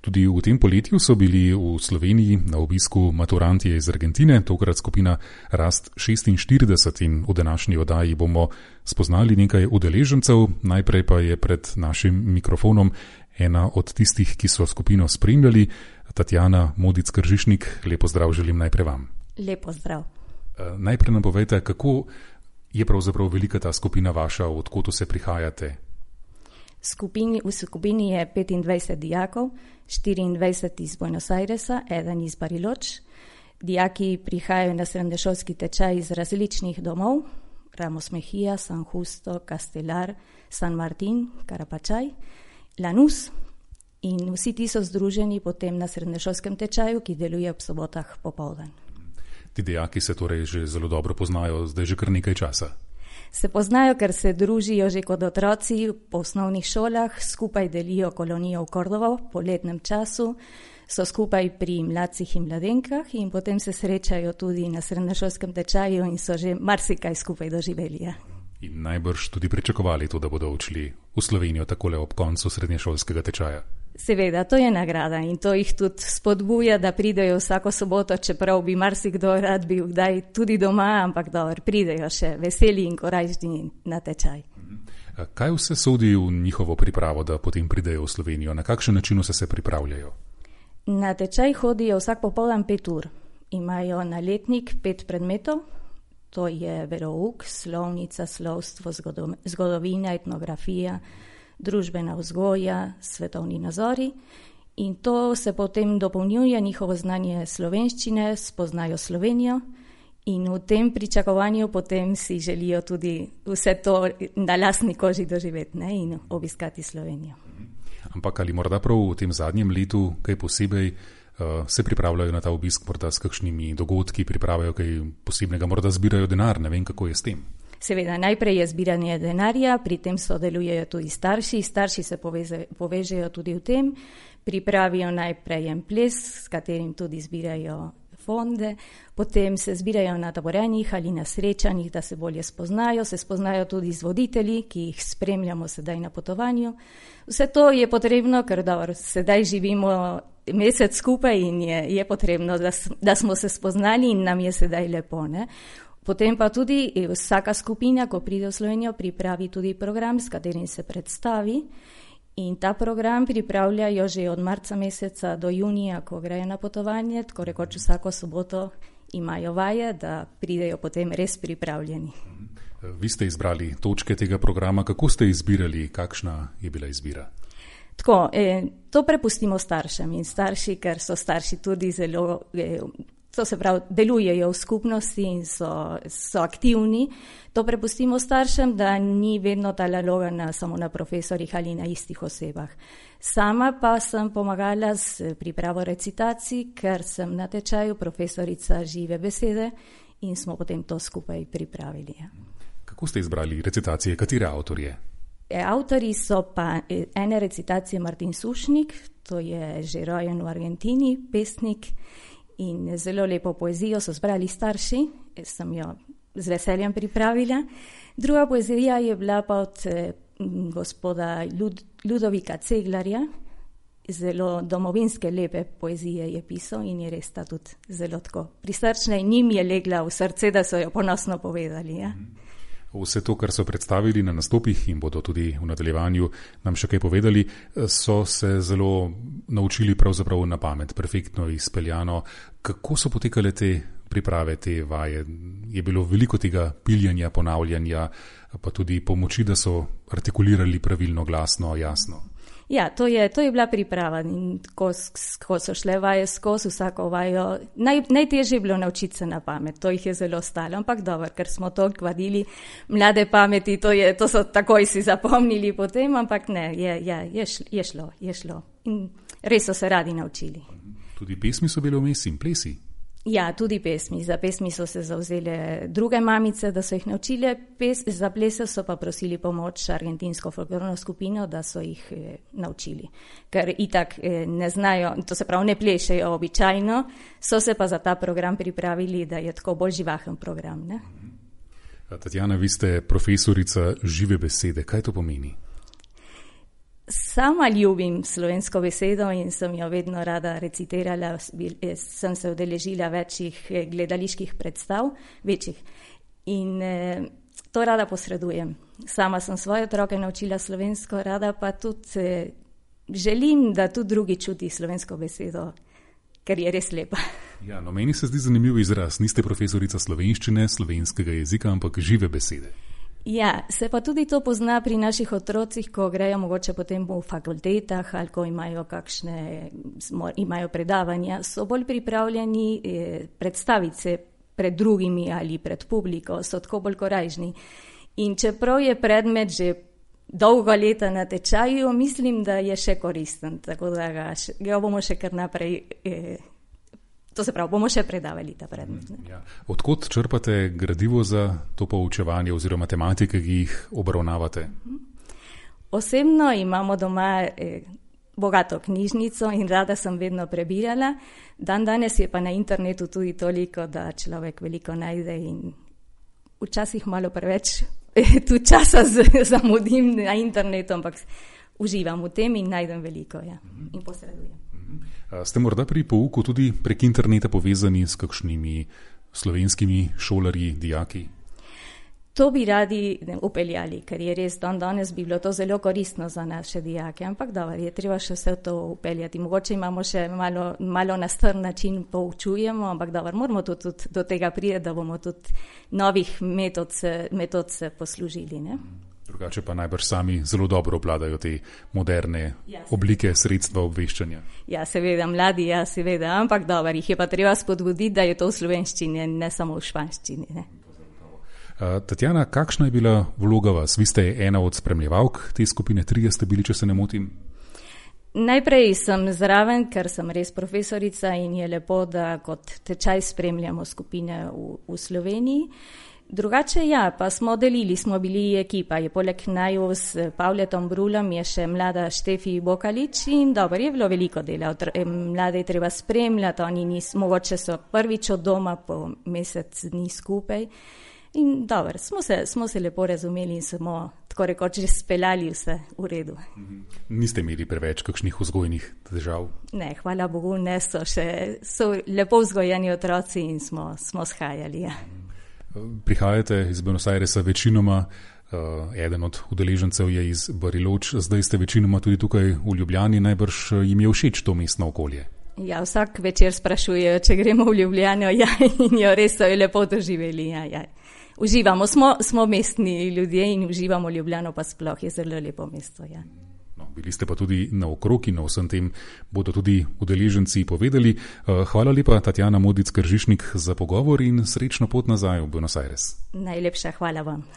Tudi v tem poletju so bili v Sloveniji na obisku maturantje iz Argentine, tokrat skupina Rast 46 in v današnji oddaji bomo spoznali nekaj udeležencev. Najprej pa je pred našim mikrofonom ena od tistih, ki so skupino spremljali, Tatjana Modic-Kržišnik. Lepo zdrav želim najprej vam. Lepo zdrav. Najprej nam povejte, kako je pravzaprav velika ta skupina vaša, odkot vse prihajate? V skupini je 25 dijakov, 24 iz Buenos Airesa, eden iz Bariloč. Dijaki prihajajo na srednješolski tečaj iz različnih domov, Ramos Mejía, San Justo, Castelar, San Martín, Carapachay, Lanús, in vsi ti so združeni potem na srednješolskem tečaju, ki deluje ob sobotah popoldan. Ti dijaki se torej že zelo dobro poznajo, zdaj že kar nekaj časa. Se poznajo, ker se družijo že kot otroci po osnovnih šolah, skupaj delijo kolonijo v Kordovo po letnem času, so skupaj pri mladcih in mladenkah in potem se srečajo tudi na srednješolskem tečaju in so že marsikaj skupaj doživeli. Ja. In najbrž tudi pričakovali to, da bodo odšli v Slovenijo takole ob koncu srednješolskega tečaja. Seveda, to je nagrada in to jih tudi spodbuja, da pridejo vsako soboto, čeprav bi marsikdo rad bil kdaj tudi doma, ampak dobro, pridejo še veseli in korajžni na tečaj. Kaj vse sodi v njihovo pripravo, da potem pridejo v Slovenijo? Na kakšen način se pripravljajo? Na tečaj hodijo vsak popoldan 5 ur. Imajo na letnik 5 predmetov, to je verouk, slovnica, slovstvo, zgodovina, etnografija, družbena vzgoja, svetovni nazori in to se potem dopolnjuje njihovo znanje slovenščine, spoznajo Slovenijo in v tem pričakovanju potem si želijo tudi vse to na lastni koži doživeti, ne, in obiskati Slovenijo. Ampak ali morda prav v tem zadnjem letu kaj posebej se pripravljajo na ta obisk, morda s kakšnimi dogodki, pripravljajo kaj posebnega, morda zbirajo denar, ne vem, kako je s tem. Seveda, najprej je zbiranje denarja, pri tem sodelujejo tudi starši se povežejo tudi v tem, pripravijo najprej en ples, s katerim tudi zbirajo fonde, potem se zbirajo na taborenjih ali na srečanjih, da se bolje spoznajo, se spoznajo tudi z voditelji, ki jih spremljamo sedaj na potovanju. Vse to je potrebno, ker dobro, sedaj živimo mesec skupaj in je potrebno, da smo se spoznali in nam je sedaj lepo, ne. Potem pa tudi vsaka skupina, ko pride v Slovenijo, pripravi tudi program, s katerim se predstavi in ta program pripravljajo že od marca meseca do junija, ko grejo na potovanje, tako rekoč vsako soboto imajo vaje, da pridejo potem res pripravljeni. Vi ste izbrali točke tega programa, kako ste izbirali, kakšna je bila izbira? Tako, to prepustimo staršem in starši, ker so starši tudi zelo... To se pravi, delujejo v skupnosti in so aktivni. To prepustimo staršem, da ni vedno ta naloga samo na profesorjih ali na istih osebah. Sama pa sem pomagala s pripravo recitacij, ker sem na tečaju profesorica žive besede in smo potem to skupaj pripravili. Kako ste izbrali recitacije, katere avtorje? Avtori so pa ene recitacije Martin Sušnik, to je že rojen v Argentini, pesnik, in zelo lepo poezijo so zbrali starši, sem jo z veseljem pripravila. Druga poezija je bila pa od gospoda Ludovika Ceglarja, zelo domovinske lepe poezije je pisal in je res ta tudi zelo tako prisrčna in njim je legla v srce, da so jo ponosno povedali. Ja. Vse to, kar so predstavili na nastopih in bodo tudi v nadaljevanju nam še kaj povedali, so se zelo naučili pravzaprav na pamet, perfektno izpeljano. Kako so potekale te priprave, te vaje? Je bilo veliko tega piljenja, ponavljanja, pa tudi pomoči, da so artikulirali pravilno, glasno, jasno? Ja, to je bila priprava in ko so šle vaje skozi vsako vajo, najtežje je bilo naučiti se na pamet, to jih je zelo stalo, ampak dobro, ker smo toliko vadili mlade pameti, to so takoj si zapomnili potem, ampak ne, je šlo in res so se radi naučili. Tudi pesmi so bile vmes in plesi? Ja, tudi pesmi. Za pesmi so se zavzele druge mamice, da so jih naučile, za plese so pa prosili pomoč argentinsko folklorno skupino, da so jih naučili. Ker itak ne znajo, to se pravi ne plešejo običajno, so se pa za ta program pripravili, da je tako bolj živahen program. Ne? Tatjana, vi ste profesorica žive besede. Kaj to pomeni? Sama ljubim slovensko besedo in sem jo vedno rada recitirala, sem se udeležila večjih gledaliških predstav, večjih. In to rada posredujem. Sama sem svoje otroke naučila slovensko, rada pa tudi želim, da tudi drugi čuti slovensko besedo, ker je res lepa. Ja, no, meni se zdi zanimiv izraz. Niste profesorica slovenščine, slovenskega jezika, ampak žive besede. Ja, se pa tudi to pozna pri naših otrocih, ko grejo mogoče potem v fakultetah ali ko imajo predavanja, so bolj pripravljeni predstaviti se pred drugimi ali pred publiko, so tako bolj korajžni. In čeprav je predmet že dolgo leta na tečaju, mislim, da je še koristen, tako da ga bomo še kar naprej, to se pravi, bomo še predavali ta predmet. Ja. Odkot črpate gradivo za to poučevanje oziroma tematike, ki jih obravnavate? Osebno imamo doma bogato knjižnico in rada sem vedno prebirala. Danes je pa na internetu tudi toliko, da človek veliko najde in včasih malo preveč tu časa zamudim na internetu, ampak uživam v tem in najdem veliko, ja, in posredujem. Ste morda pri pouku tudi prek interneta povezani s kakšnimi slovenskimi šolarji, dijaki? To bi radi upeljali, ker je res danes bi bilo to zelo koristno za naše dijake, ampak dobro, je treba še vse to upeljati. Mogoče imamo še malo na strn način poučujemo, ampak dobro, moramo tudi do tega priti, da bomo tudi novih metod se poslužili, ne? Drugače pa najbrž sami zelo dobro obvladajo te moderne oblike sredstva obveščanja. Ja, seveda, mladi, ja, seveda, ampak dobro, jih je pa treba spodbuditi, da je to v slovenščini, ne samo v španščini, ne? Tatjana, kakšna je bila vloga vas? Vi ste ena od spremljevalk te skupine, 3 ste bili, če se ne motim. Najprej sem zraven, ker sem res profesorica in je lepo, da kot tečaj spremljamo skupine v Sloveniji. Drugače ja, pa smo bili ekipa, je poleg naju s Pavletom Brulom je še mlada Štefi Bokalič in dobro, je bilo veliko dela, mlade je treba spremljati, oni mogoče so prvič od doma po mesec dni skupaj in dobro, smo se lepo razumeli in smo tako rekoč že speljali vse v redu. Niste imeli preveč kakšnih vzgojnih težav? Ne, hvala Bogu, ne, so lepo vzgojeni otroci in smo shajali, ja. Prihajate iz Buenos Airesa večinoma, eden od udeležencev je iz Bariloč, zdaj ste večinoma tudi tukaj v Ljubljani, najbrž jim je všeč to mestno okolje. Ja, vsak večer sprašujejo, če gremo v Ljubljano, ja, in jo res so lepo doživeli, ja. Uživamo, smo mestni ljudje in uživamo Ljubljano, pa sploh je zelo lepo mesto, ja. No, bili ste pa tudi naokrog in o vsem tem bodo tudi udeleženci povedali. Hvala lepa, Tatjana Modic-Kržišnik, za pogovor in srečno pot nazaj v Buenos Aires. Najlepša hvala vam.